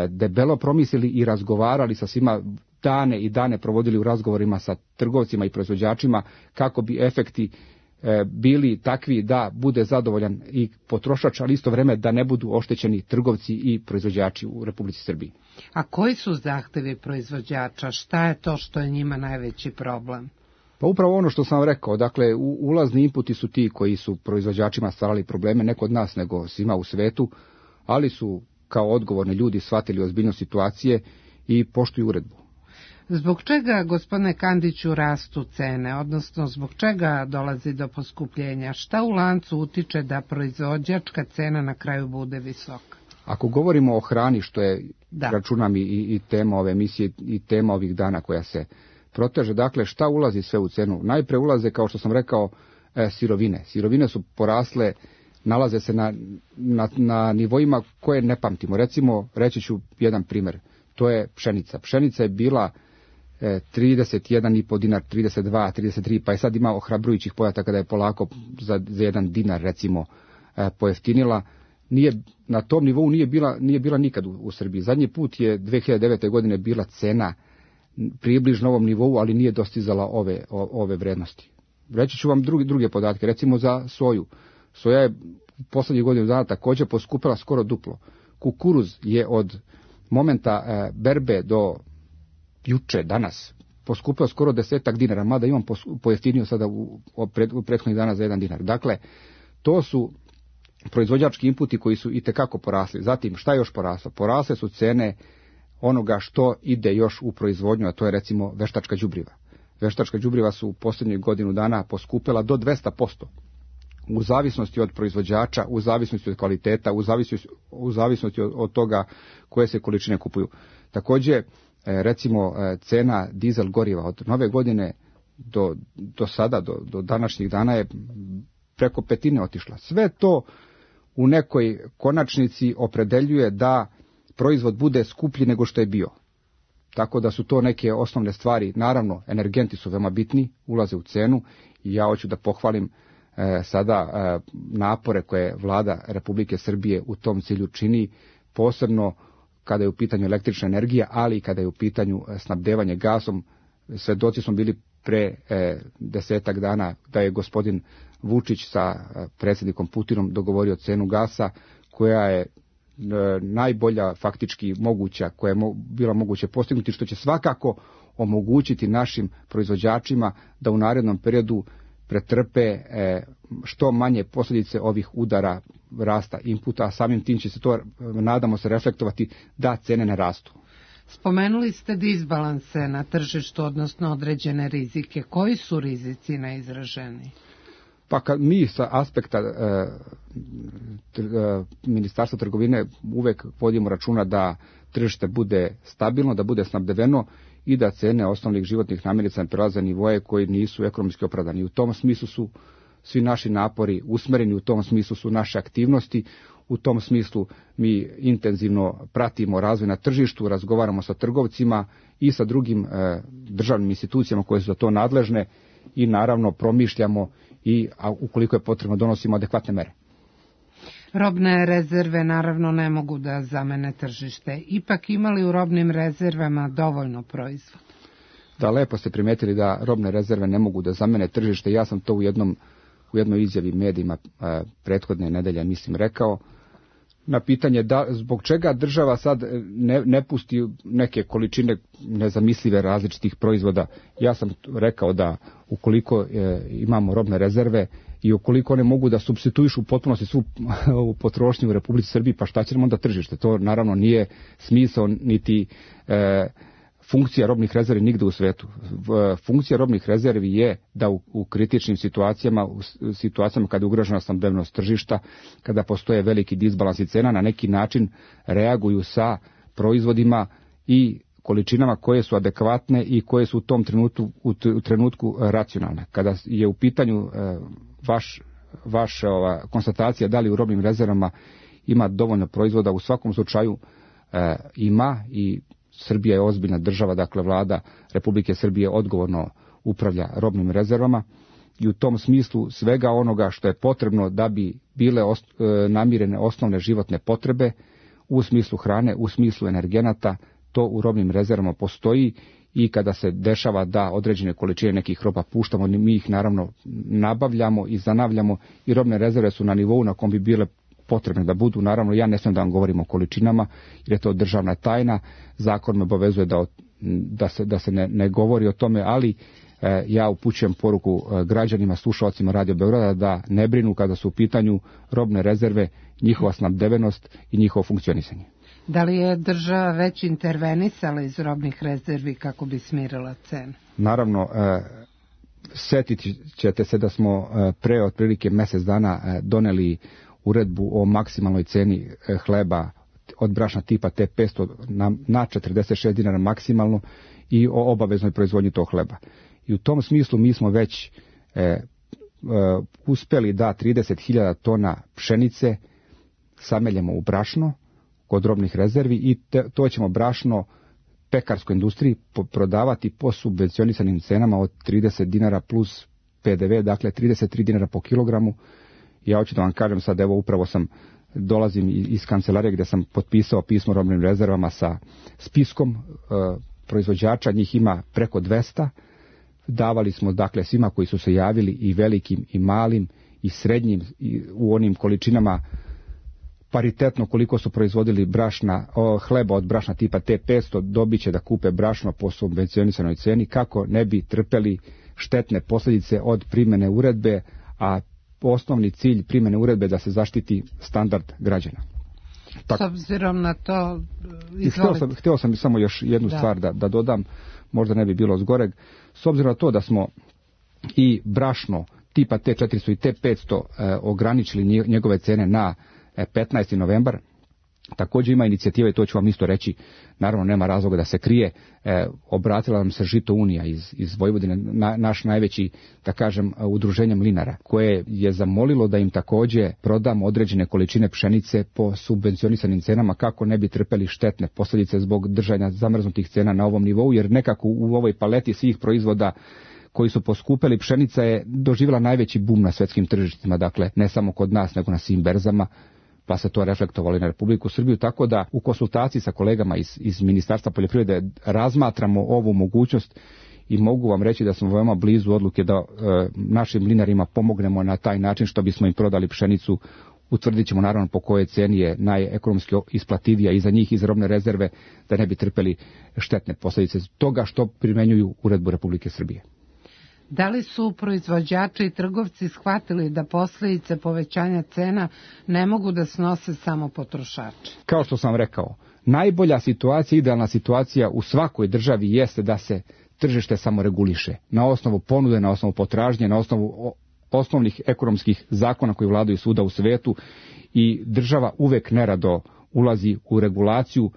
debelo promislili i razgovarali sa svima, dane i dane provodili u razgovorima sa trgovcima i proizvođačima kako bi efekti bili takvi da bude zadovoljan i potrošač, ali isto vreme da ne budu oštećeni trgovci i proizvođači u Republici Srbiji. A koji su zahtevi proizvođača? Šta je to što je njima najveći problem? Pa upravo ono što sam rekao, dakle ulazni inputi su ti koji su proizvođačima stvarali probleme, ne kod nas nego svima u svetu, ali su kao odgovorni ljudi shvatili ozbiljnost situacije i poštuju uredbu. Zbog čega, gospodine Kandiću, rastu cene, odnosno zbog čega dolazi do poskupljenja? Šta u lancu utiče da proizvođačka cena na kraju bude visoka? Ako govorimo o hrani, što je, računam i tema ove emisije i tema ovih dana koja se proteže, dakle šta ulazi sve u cenu? Najpre ulaze, kao što sam rekao, sirovine. Sirovine su porasle, nalaze se na nivoima koje ne pamtimo. Recimo, reći ću jedan primjer, to je pšenica. Pšenica je bila 31,5 dinar, 32, 33, pa je sad ima ohrabrujućih podataka da je polako za 1 dinar recimo pojeftinila. Na tom nivou nije bila nikad u Srbiji. Zadnji put je 2009. godine bila cena približno ovom nivou, ali nije dostizala ove vrednosti. Reći ću vam druge podatke, recimo za soju. Soja je posljednjih godinu dana također poskupila skoro duplo. Kukuruz je od momenta berbe do juče, danas, poskupio skoro 10 dinara, mada imam pojeftinio sada u prethodnih dana za 1 dinar. Dakle, to su proizvođački inputi koji su itekako porasli. Zatim, šta je još poraslo? Porasle su cene onoga što ide još u proizvodnju, a to je recimo veštačka đubriva. Veštačka đubriva su u posljednjih godinu dana poskupela do 200%. U zavisnosti od proizvođača, u zavisnosti od kvaliteta, u zavisnosti od toga koje se količine kupuju. Također, recimo, cena dizel goriva od nove godine do sada, do današnjih dana je preko petine otišla. Sve to u nekoj konačnici opredeljuje da proizvod bude skuplji nego što je bio. Tako da su to neke osnovne stvari. Naravno, energenti su veoma bitni, ulaze u cenu i ja hoću da pohvalim sada napore koje vlada Republike Srbije u tom cilju čini, posebno kada je u pitanju električna energija, ali i kada je u pitanju snabdevanje gasom. Svedoci smo bili pre 10 dana da je gospodin Vučić sa predsjednikom Putinom dogovorio cenu gasa koja je najbolja faktički moguća, koja je bila moguće postignuti, što će svakako omogućiti našim proizvođačima da u narednom periodu pretrpe što manje posljedice ovih udara rasta inputa, a samim tim će se to, nadamo se, reflektovati da cene ne rastu. Spomenuli ste disbalanse na tržištu, odnosno određene rizike. Koji su rizici najizraženiji? Pa kad mi sa aspekta Ministarstva trgovine uvek vodimo računa da tržište bude stabilno, da bude snabdeveno i da cene osnovnih životnih namirnica ne prelaze nivoje koji nisu ekonomski opravdani. U tom smislu su svi naši napori usmereni, u tom smislu su naše aktivnosti, u tom smislu mi intenzivno pratimo razvoj na tržištu, razgovaramo sa trgovcima i sa drugim državnim institucijama koje su za to nadležne i naravno promišljamo i ukoliko je potrebno donosimo adekvatne mere. Robne rezerve naravno ne mogu da zamene tržište. Ipak imali u robnim rezervama dovoljno proizvoda? Da, lepo ste primetili da robne rezerve ne mogu da zamene tržište. Ja sam to u jednoj izjavi medijima prethodne nedelje, mislim, rekao. Na pitanje zbog čega država sad ne pusti neke količine nezamislive različitih proizvoda, ja sam rekao da ukoliko imamo robne rezerve i ukoliko one mogu da supstituišu u potpunosti svu potrošnju u Republici Srbiji, pa šta će nam onda tržište? To naravno nije smisao niti funkcija robnih rezervi nigde u svetu. Funkcija robnih rezervi je da u kritičnim situacijama, u situacijama kada je ugrožena snabdevnost tržišta, kada postoje veliki disbalansi cena, na neki način reaguju sa proizvodima i količinama koje su adekvatne i koje su u tom trenutku racionalne. Kada je u pitanju vaša konstatacija da li u robnim rezervama ima dovoljno proizvoda, u svakom slučaju ima i Srbija je ozbiljna država, dakle vlada Republike Srbije odgovorno upravlja robnim rezervama i u tom smislu svega onoga što je potrebno da bi bile namirene osnovne životne potrebe u smislu hrane, u smislu energenata, to u robnim rezervama postoji i kada se dešava da određene količine nekih roba puštamo, mi ih naravno nabavljamo i zanavljamo i robne rezerve su na nivou na kom bi bile potrebne da budu. Naravno, ja ne smijem da vam govorim o količinama, jer je to državna tajna. Zakon me obavezuje da se ne govori o tome, ali ja upućujem poruku građanima, slušalcima Radio Beograda da ne brinu kada su u pitanju robne rezerve, njihova snabdevenost i njihovo funkcionisanje. Da li je država već intervenisala iz robnih rezervi kako bi smirila cenu? Naravno, setit ćete se da smo pre otprilike mjesec dana doneli uredbu o maksimalnoj ceni hleba od brašna tipa T500 na 46 dinara maksimalno i o obaveznoj proizvodnji tog hleba. I u tom smislu mi smo već uspjeli da 30.000 tona pšenice sameljemo u brašno kod robnih rezervi i to ćemo brašno pekarskoj industriji prodavati po subvencionisanim cenama od 30 dinara plus PDV, dakle 33 dinara po kilogramu. Ja hoću da vam kažem sad, evo upravo dolazim iz kancelarije gdje sam potpisao pismo robnim rezervama sa spiskom proizvođača, njih ima preko 200. Davali smo dakle svima koji su se javili, i velikim i malim i srednjim, i u onim količinama paritetno koliko su proizvodili hleba od brašna tipa T500, dobit će da kupe brašno po subvencionisanoj ceni kako ne bi trpeli štetne posljedice od primjene uredbe, a osnovni cilj primjene uredbe da se zaštiti standard građana. S obzirom na to, htio sam samo još jednu stvar da dodam, možda ne bi bilo zgoreg. S obzirom na to da smo i brašno tipa T400 i T500 ograničili njegove cene na 15. novembar, Također ima inicijativa, i to ću vam isto reći, naravno nema razloga da se krije, obratila nam se Žito Unija iz Vojvodine, naš najveći, da kažem, udruženje mlinara, koje je zamolilo da im također prodamo određene količine pšenice po subvencionisanim cenama kako ne bi trpeli štetne posljedice zbog držanja zamrznutih cena na ovom nivou, jer nekako u ovoj paleti svih proizvoda koji su poskupeli, pšenica je doživjela najveći bum na svjetskim tržištima, dakle ne samo kod nas nego na svim berzama, pa se to reflektovali na Republiku Srbiju, tako da u konsultaciji sa kolegama iz Ministarstva poljoprivrede razmatramo ovu mogućnost i mogu vam reći da smo veoma blizu odluke da našim mlinarima pomognemo na taj način što bismo im prodali pšenicu. Utvrdit ćemo naravno po kojoj ceni je najekonomski isplativija i za njih iz robne rezerve, da ne bi trpeli štetne posljedice toga što primenjuju uredbu Republike Srbije. Da li su proizvođači i trgovci shvatili da posljedice povećanja cena ne mogu da snose samo potrošači? Kao što sam rekao, najbolja situacija, idealna situacija u svakoj državi jeste da se tržište samo reguliše na osnovu ponude, na osnovu potražnje, na osnovu osnovnih ekonomskih zakona koji vladaju svuda u svetu, i država uvek nerado ulazi u regulaciju.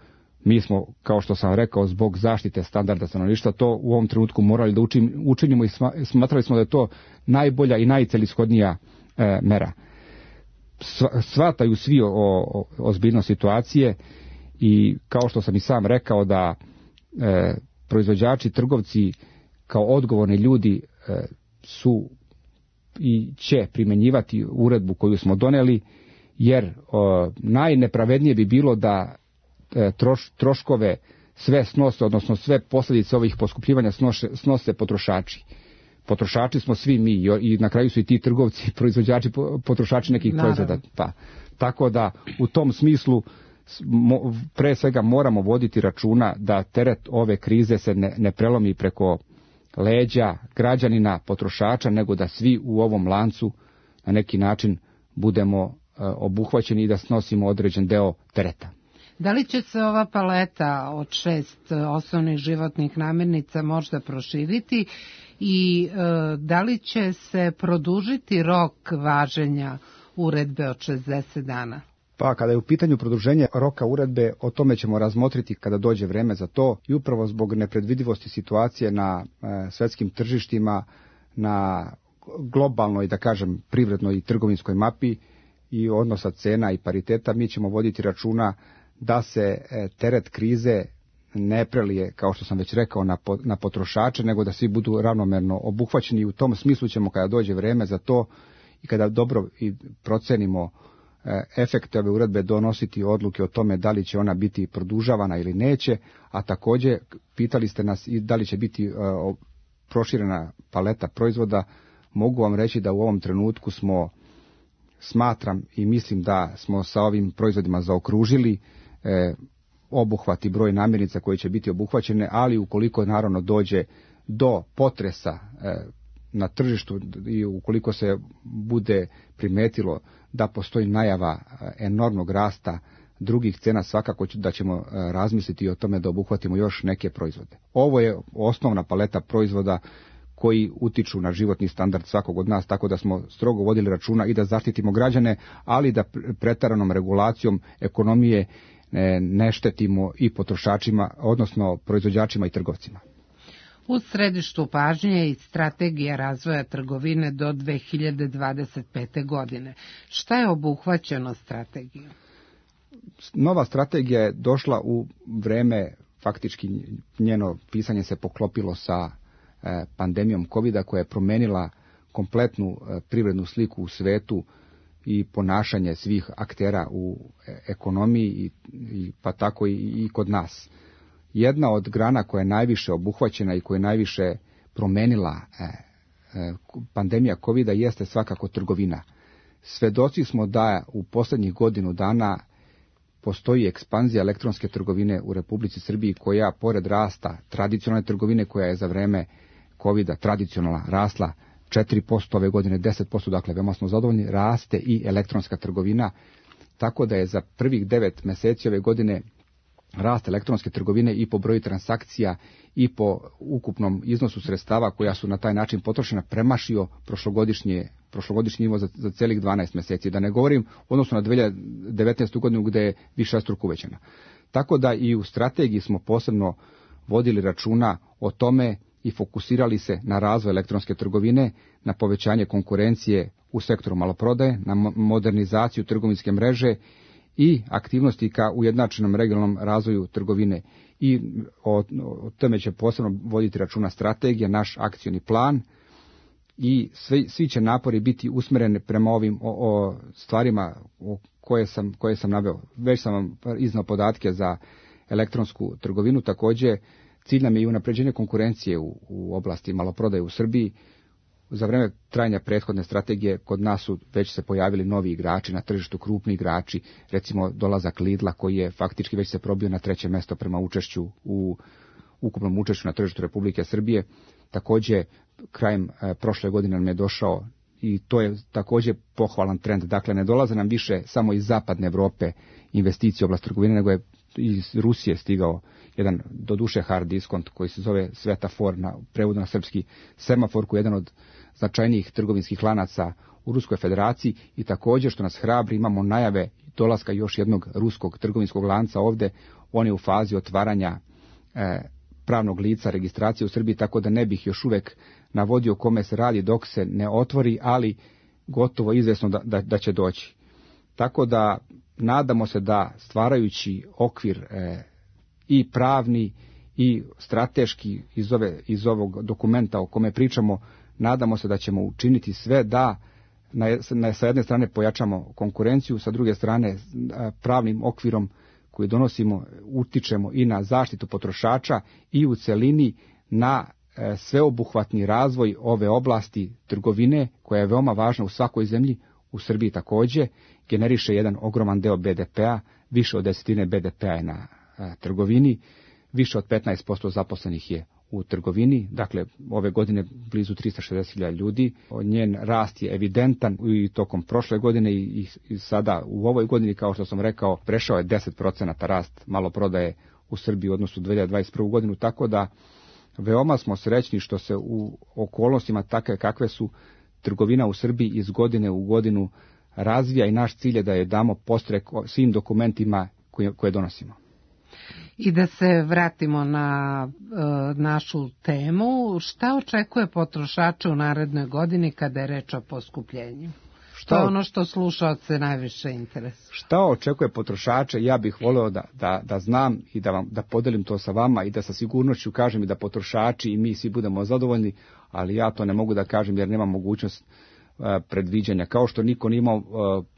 Mi smo, kao što sam rekao, zbog zaštite standarda stanovništva to u ovom trenutku morali da učinimo i smatrali smo da je to najbolja i najcelishodnija mera. Shvataju svi o ozbiljnost situacije i kao što sam i sam rekao da proizvođači, trgovci kao odgovorni ljudi su i će primjenjivati uredbu koju smo doneli, jer najnepravednije bi bilo da troškove sve snose, odnosno sve posljedice ovih poskupljivanja snose potrošači. Potrošači smo svi mi i na kraju su i ti trgovci, proizvođači, potrošači nekih proizvoda. Pa, tako da u tom smislu pre svega moramo voditi računa da teret ove krize se ne prelomi preko leđa građanina, potrošača, nego da svi u ovom lancu na neki način budemo obuhvaćeni i da snosimo određen deo tereta. Da li će se ova paleta od 6 osnovnih životnih namirnica možda proširiti i da li će se produžiti rok važenja uredbe od 60 dana? Pa kada je u pitanju produženje roka uredbe, o tome ćemo razmotriti kada dođe vreme za to, i upravo zbog nepredvidivosti situacije na svjetskim tržištima, na globalnoj, da kažem, privrednoj i trgovinskoj mapi i odnosa cena i pariteta, mi ćemo voditi računa da se teret krize ne prelije, kao što sam već rekao, na potrošače, nego da svi budu ravnomerno obuhvaćeni. I u tom smislu ćemo, kada dođe vreme za to i kada dobro i procenimo efekte ove uredbe, donositi odluke o tome da li će ona biti produžavana ili neće, a također pitali ste nas i da li će biti proširena paleta proizvoda. Mogu vam reći da u ovom trenutku smatram i mislim da smo sa ovim proizvodima zaokružili obuhvat i broj namirnica koje će biti obuhvaćene, ali ukoliko naravno dođe do potresa na tržištu i ukoliko se bude primetilo da postoji najava enormnog rasta drugih cena, svakako da ćemo razmisliti o tome da obuhvatimo još neke proizvode. Ovo je osnovna paleta proizvoda koji utiču na životni standard svakog od nas, tako da smo strogo vodili računa i da zaštitimo građane, ali da preteranom regulacijom ekonomije ne štetimo i potrošačima, odnosno proizvođačima i trgovcima. U središtu pažnje je i strategija razvoja trgovine do 2025. godine. Šta je obuhvaćeno strategijom? Nova strategija je došla u vreme, faktički njeno pisanje se poklopilo sa pandemijom COVID-a koja je promenila kompletnu privrednu sliku u svetu i ponašanje svih aktera u ekonomiji pa tako i kod nas. Jedna od grana koja je najviše obuhvaćena i koja je najviše promenila pandemija COVID-a jeste svakako trgovina. Svedoci smo da u posljednjih godinu dana postoji ekspanzija elektronske trgovine u Republici Srbiji koja, pored rasta tradicionalne trgovine koja je za vreme COVID-a tradicionalna rasla 4% ove godine, 10%, dakle veoma smo zadovoljni, raste i elektronska trgovina, tako da je za prvih 9 mjeseci ove godine rast elektronske trgovine i po broju transakcija i po ukupnom iznosu sredstava koja su na taj način potrošena premašio prošlogodišnji nivo za celih 12 mjeseci. Da ne govorim odnosno na 2019. godinu gde je višestruko uvećana. Tako da i u strategiji smo posebno vodili računa o tome i fokusirali se na razvoj elektronske trgovine, na povećanje konkurencije u sektoru maloprodaje, na modernizaciju trgovinske mreže i aktivnosti ka ujednačenom regionalnom razvoju trgovine. I o tome će posebno voditi računa strategija, naš akcioni plan i svi će napori biti usmjereni prema ovim stvarima koje sam naveo. Već sam vam iznao podatke za elektronsku trgovinu, također cilj nam je i unapređenje konkurencije u oblasti maloprodaje u Srbiji. Za vreme trajanja prethodne strategije kod nas su već se pojavili novi igrači na tržištu, krupni igrači, recimo dolazak Lidla koji je faktički već se probio na 3. mjesto prema učešću u ukupnom učešću na tržištu Republike Srbije. Također krajem prošle godine nam je došao i to je također pohvalan trend. Dakle, ne dolaze nam više samo iz zapadne Europe investicije u oblast trgovine, nego je iz Rusije stigao jedan doduše hard diskont koji se zove Svetafor, na prevodu na srpski semafor, koji je jedan od značajnijih trgovinskih lanaca u Ruskoj federaciji i također što nas hrabri imamo najave dolaska još jednog ruskog trgovinskog lanca ovde. On je u fazi otvaranja pravnog lica registracije u Srbiji, tako da ne bih još uvek navodio kome se radi dok se ne otvori, ali gotovo izvjesno da će doći. Tako da nadamo se da stvarajući okvir i pravni i strateški iz ovog dokumenta o kome pričamo, nadamo se da ćemo učiniti sve da sa jedne strane pojačamo konkurenciju, sa druge strane pravnim okvirom koji donosimo utičemo i na zaštitu potrošača i u celini na sveobuhvatni razvoj ove oblasti trgovine koja je veoma važna u svakoj zemlji. U Srbiji također generiše jedan ogroman deo BDP-a, više od 10% BDP-a je na trgovini, više od 15% zaposlenih je u trgovini, dakle ove godine blizu 360.000 ljudi. Njen rast je evidentan i tokom prošle godine i sada u ovoj godini, kao što sam rekao, prešao je 10% rast maloprodaje u Srbiji u odnosu 2021. godinu, tako da veoma smo srećni što se u okolnostima takve kakve su trgovina u Srbiji iz godine u godinu razvija i naš cilj je da je damo podstrek svim dokumentima koje donosimo. I da se vratimo na našu temu, šta očekuje potrošače u narednoj godini kada je reč o poskupljenju? To je ono što slušaoce najviše interesuje. Šta očekuje potrošače? Ja bih voleo da znam i da podelim to sa vama i da sa sigurnošću kažem i da potrošači i mi svi budemo zadovoljni, ali ja to ne mogu da kažem jer nemam mogućnost predviđanja. Kao što niko nije imao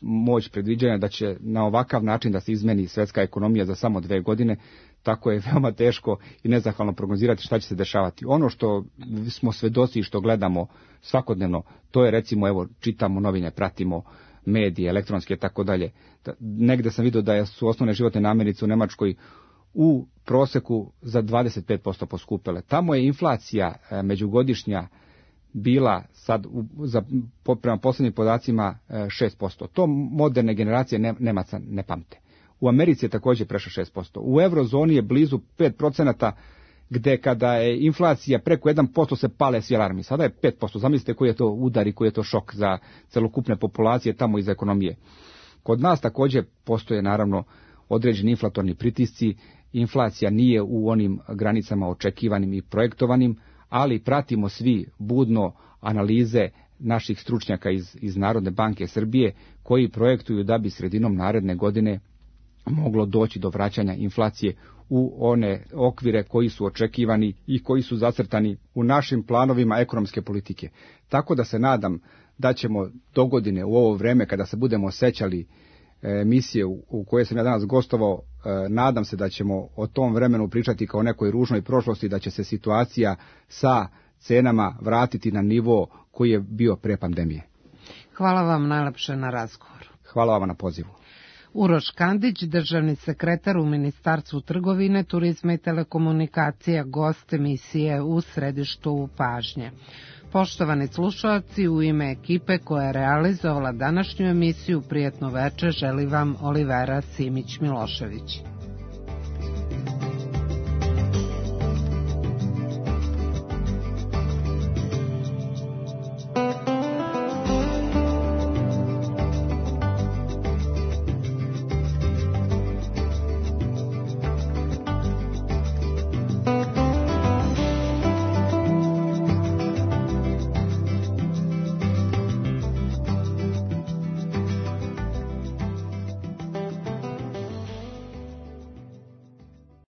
moć predviđanja da će na ovakav način da se izmeni svetska ekonomija za samo 2 godine, tako je veoma teško i nezahvalno prognozirati šta će se dešavati. Ono što smo svedoci i što gledamo svakodnevno, to je recimo, evo, čitamo novine, pratimo medije, elektronske i tako dalje. Negde sam vidio da su osnovne životne namirnice u Nemačkoj u proseku za 25% poskupele. Tamo je inflacija međugodišnja bila sad prema posljednjim podacima 6%. To moderne generacije Nemaca ne pamte. U Americi je također prešlo 6%. U eurozoni je blizu 5%, gde kada je inflacija preko 1% se pale svi alarmi. Sada je 5%. Zamislite koji je to udar i koji je to šok za celokupne populacije tamo iz ekonomije. Kod nas također postoje naravno određeni inflatorni pritisci. Inflacija nije u onim granicama očekivanim i projektovanim, ali pratimo svi budno analize naših stručnjaka iz Narodne banke Srbije koji projektuju da bi sredinom naredne godine moglo doći do vraćanja inflacije u one okvire koji su očekivani i koji su zacrtani u našim planovima ekonomske politike. Tako da se nadam da ćemo do godine u ovo vreme kada se budemo sećali emisije u kojoj sam ja danas gostovao, nadam se da ćemo o tom vremenu pričati kao nekoj ružnoj prošlosti, da će se situacija sa cenama vratiti na nivo koji je bio pre pandemije. Hvala vam najlepše na razgovoru. Hvala vam na pozivu. Uroš Kandić, državni sekretar u Ministarstvu trgovine, turizma i telekomunikacija, gost emisije u središtu pažnje. Poštovani slušalci, u ime ekipe koja je realizovala današnju emisiju, prijatno veče želi vam Olivera Simić-Milošević.